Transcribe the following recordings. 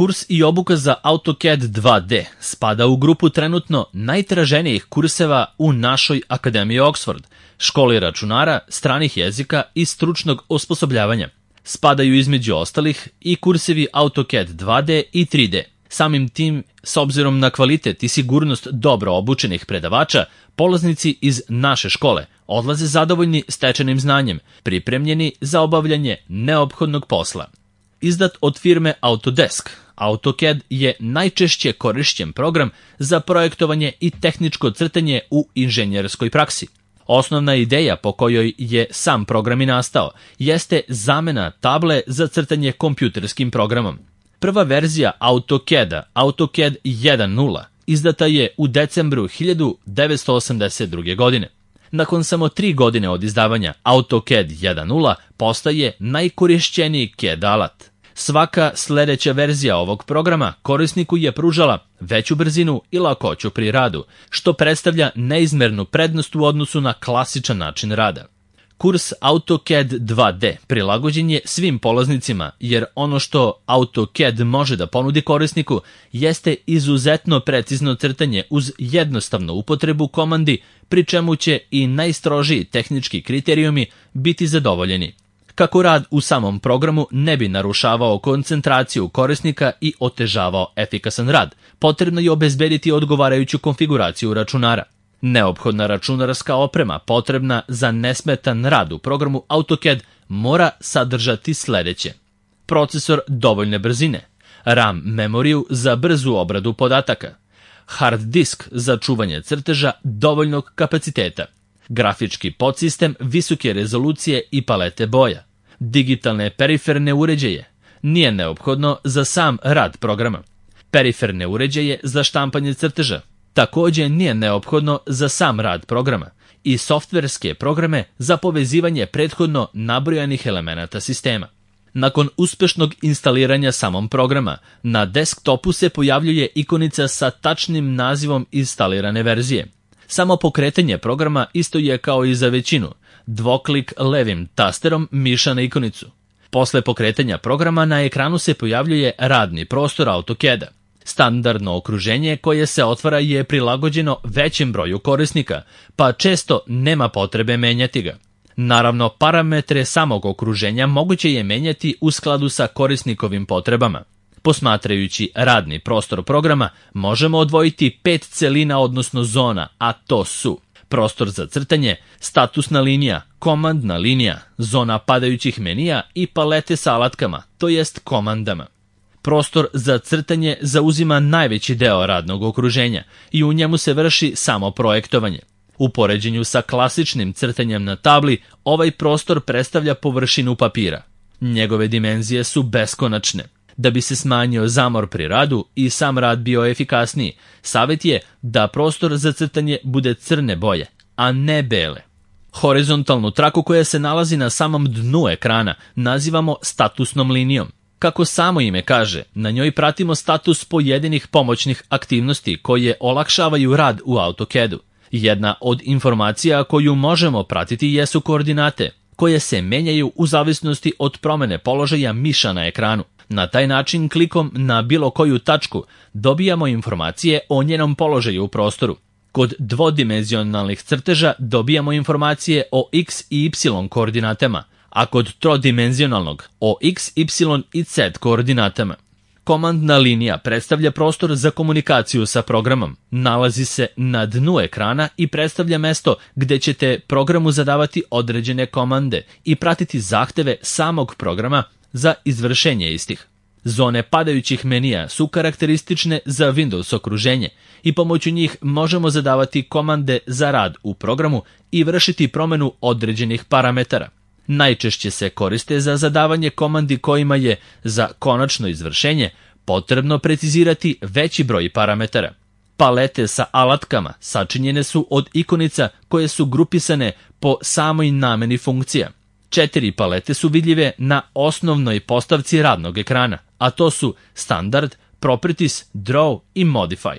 Kurs i obuka za AutoCAD 2D spada u grupu trenutno najtraženijih kurseva u našoj Akademiji Oxford, školi računara, stranih jezika i stručnog osposobljavanja. Spadaju između ostalih i kursevi AutoCAD 2D i 3D. Samim tim, s obzirom na kvalitet i sigurnost dobro obučenih predavača, polaznici iz naše škole odlaze zadovoljni stečenim znanjem, pripremljeni za obavljanje neophodnog posla. Izdat od firme Autodesk, AutoCAD je najčešće korišćen program za projektovanje i tehničko crtanje u inženjerskoj praksi. Osnovna ideja po kojoj je sam program i nastao jeste zamena table za crtanje kompjuterskim programom. Prva verzija AutoCAD-a, AutoCAD 1.0, izdata je u decembru 1982. godine. Nakon samo 3 godine od izdavanja, AutoCAD 1.0 postaje najkorišćeniji CAD alat. Svaka sledeća verzija ovog programa korisniku je pružala veću brzinu i lakoću pri radu, što predstavlja neizmernu prednost u odnosu na klasičan način rada. Kurs AutoCAD 2D prilagođen je svim polaznicima, jer ono što AutoCAD može da ponudi korisniku jeste izuzetno precizno crtanje uz jednostavnu upotrebu komandi, pri čemu će i najstrožiji tehnički kriterijumi biti zadovoljeni. Kako rad u samom programu ne bi narušavao koncentraciju korisnika i otežavao efikasan rad, potrebno je obezbediti odgovarajuću konfiguraciju računara. Neophodna računarska oprema potrebna za nesmetan rad u programu AutoCAD mora sadržati sledeće: procesor dovoljne brzine, RAM memoriju za brzu obradu podataka, hard disk za čuvanje crteža dovoljnog kapaciteta, grafički podsistem visoke rezolucije i palete boja, digitalne periferne uređaje, nije neophodno za sam rad programa, periferne uređaje za štampanje crteža, takođe nije neophodno za sam rad programa, i softverske programe za povezivanje prethodno nabrojanih elemenata sistema. Nakon uspešnog instaliranja samog programa, na desktopu se pojavljuje ikonica sa tačnim nazivom instalirane verzije. Samo pokretanje programa isto je kao i za većinu, dvoklik levim tasterom miša na ikonicu. Posle pokretanja programa na ekranu se pojavljuje radni prostor AutoCAD-a. Standardno okruženje koje se otvara je prilagođeno većem broju korisnika, pa često nema potrebe menjati ga. Naravno, parametre samog okruženja moguće je menjati u skladu sa korisnikovim potrebama. Posmatrajući radni prostor programa, možemo odvojiti 5 celina odnosno zona, a to su prostor za crtanje, statusna linija, komandna linija, zona padajućih menija i palete sa alatkama, to jest komandama. Prostor za crtanje zauzima najveći deo radnog okruženja i u njemu se vrši samo projektovanje. U poređenju sa klasičnim crtanjem na tabli, ovaj prostor predstavlja površinu papira. Njegove dimenzije su beskonačne. Da bi se smanjio zamor pri radu i sam rad bio efikasniji, savjet je da prostor za crtanje bude crne boje, a ne bele. Horizontalnu traku koja se nalazi na samom dnu ekrana nazivamo statusnom linijom. Kako samo ime kaže, na njoj pratimo status pojedinih pomoćnih aktivnosti koje olakšavaju rad u AutoCAD-u. Jedna od informacija koju možemo pratiti jesu koordinate, koje se menjaju u zavisnosti od promene položaja miša na ekranu. Na taj način, klikom na bilo koju tačku, dobijamo informacije o njenom položaju u prostoru. Kod dvodimenzionalnih crteža dobijamo informacije o x i y koordinatama, a kod trodimenzionalnog o x, y i z koordinatama. Komandna linija predstavlja prostor za komunikaciju sa programom. Nalazi se na dnu ekrana i predstavlja mesto gde ćete programu zadavati određene komande i pratiti zahteve samog programa za izvršenje istih. Zone padajućih menija su karakteristične za Windows okruženje i pomoću njih možemo zadavati komande za rad u programu i vršiti promenu određenih parametara. Najčešće se koriste za zadavanje komandi kojima je za konačno izvršenje potrebno precizirati veći broj parametara. Palete sa alatkama sačinjene su od ikonica koje su grupisane po samoj nameni funkcija. 4 palete su vidljive na osnovnoj postavci radnog ekrana, a to su Standard, Properties, Draw i Modify.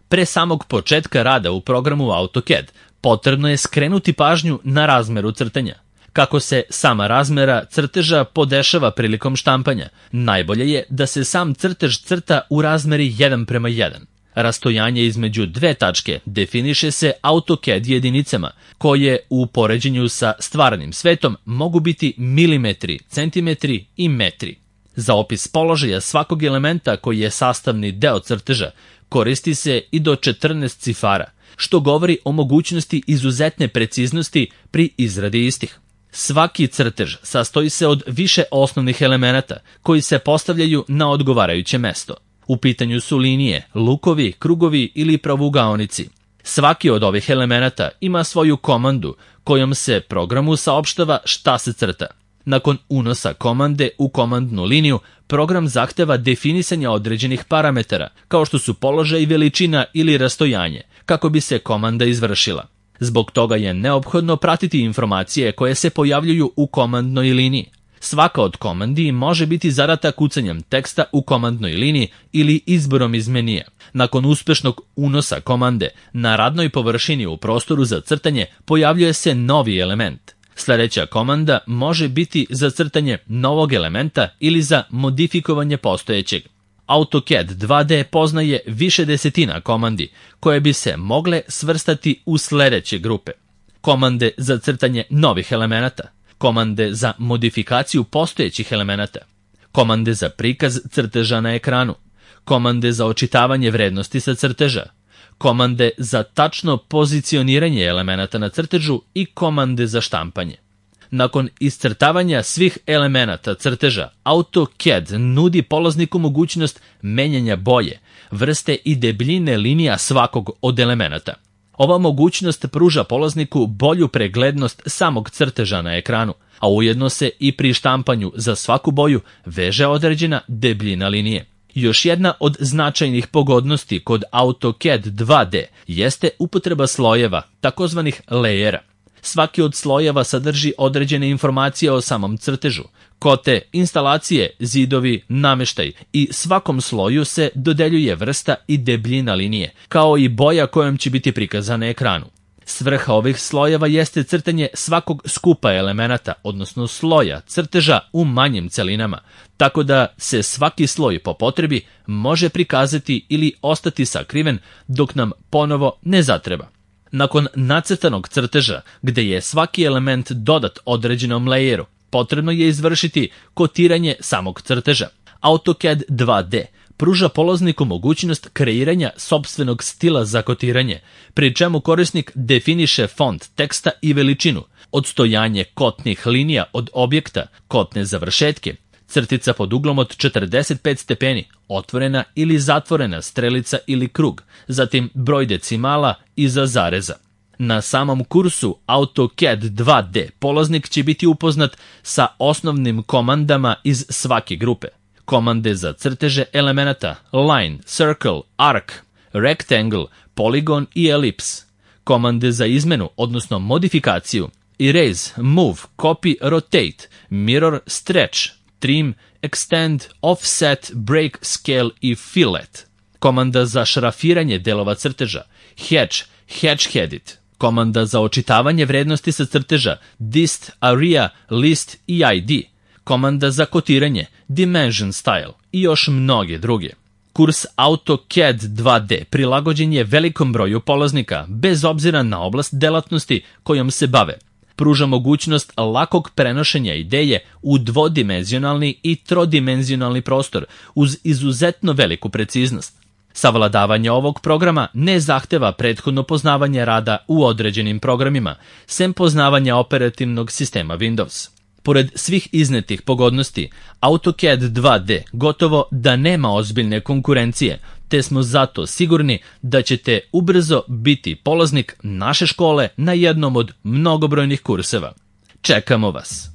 Pre samog početka rada u programu AutoCAD potrebno je skrenuti pažnju na razmeru crtanja. Kako se sama razmera crteža podešava prilikom štampanja, najbolje je da se sam crtež crta u razmeri 1:1. Rastojanje između dve tačke definiše se AutoCAD jedinicama, koje u poređenju sa stvarnim svetom mogu biti milimetri, centimetri i metri. Za opis položaja svakog elementa koji je sastavni deo crteža koristi se i do 14 cifara, što govori o mogućnosti izuzetne preciznosti pri izradi istih. Svaki crtež sastoji se od više osnovnih elemenata koji se postavljaju na odgovarajuće mesto. U pitanju su linije, lukovi, krugovi ili pravugaonici. Svaki od ovih elemenata ima svoju komandu kojom se programu saopštava šta se crta. Nakon unosa komande u komandnu liniju, program zahteva definisanje određenih parametara, kao što su položaj, veličina ili rastojanje, kako bi se komanda izvršila. Zbog toga je neophodno pratiti informacije koje se pojavljuju u komandnoj liniji. Svaka od komandi može biti zadata kucanjem teksta u komandnoj liniji ili izborom iz menija. Nakon uspešnog unosa komande, na radnoj površini u prostoru za crtanje pojavljuje se novi element. Sledeća komanda može biti za crtanje novog elementa ili za modifikovanje postojećeg. AutoCAD 2D poznaje više desetina komandi koje bi se mogle svrstati u sledeće grupe. Komande za crtanje novih elemenata, komande za modifikaciju postojećih elemenata, komande za prikaz crteža na ekranu, komande za očitavanje vrednosti sa crteža, komande za tačno pozicioniranje elemenata na crtežu i komande za štampanje. Nakon iscrtavanja svih elemenata crteža, AutoCAD nudi polazniku mogućnost menjanja boje, vrste i debljine linija svakog od elemenata. Ova mogućnost pruža polazniku bolju preglednost samog crteža na ekranu, a ujedno se i pri štampanju za svaku boju veže određena debljina linije. Još jedna od značajnih pogodnosti kod AutoCAD 2D jeste upotreba slojeva, takozvanih lejera. Svaki od slojeva sadrži određene informacije o samom crtežu, kote, instalacije, zidovi, nameštaj i svakom sloju se dodeljuje vrsta i debljina linije, kao i boja kojom će biti prikazana na ekranu. Svrha ovih slojeva jeste crtanje svakog skupa elemenata, odnosno sloja crteža u manjim celinama, tako da se svaki sloj po potrebi može prikazati ili ostati sakriven dok nam ponovo ne zatreba. Nakon nacrtanog crteža, gde je svaki element dodat određenom lejeru, potrebno je izvršiti kotiranje samog crteža. AutoCAD 2D pruža polazniku mogućnost kreiranja sopstvenog stila za kotiranje, pri čemu korisnik definiše font teksta i veličinu, odstojanje kotnih linija od objekta, kotne završetke, crtica pod uglom od 45 stepeni, otvorena ili zatvorena strelica ili krug, zatim broj decimala iza zareza. Na samom kursu AutoCAD 2D polaznik će biti upoznat sa osnovnim komandama iz svake grupe. Komande za crteže elemenata line, circle, arc, rectangle, polygon i ellipse. Komande za izmenu, odnosno modifikaciju erase, move, copy, rotate, mirror, stretch, trim, extend, offset, break, scale i fillet. Komanda za šrafiranje delova crteža hatch, hatch headed. Komanda za očitavanje vrednosti sa crteža dist, area, list i ID. Komanda za kotiranje dimension style i još mnoge druge. Kurs AutoCAD 2D prilagođen je velikom broju polaznika bez obzira na oblast delatnosti kojom se bave. Pruža mogućnost lakog prenošenja ideje u dvodimenzionalni i trodimenzionalni prostor uz izuzetno veliku preciznost. Savladavanje ovog programa ne zahteva prethodno poznavanje rada u određenim programima, sem poznavanja operativnog sistema Windows. Pored svih iznetih pogodnosti, AutoCAD 2D gotovo da nema ozbiljne konkurencije, te smo zato sigurni da ćete ubrzo biti polaznik naše škole na jednom od mnogobrojnih kurseva. Čekamo vas!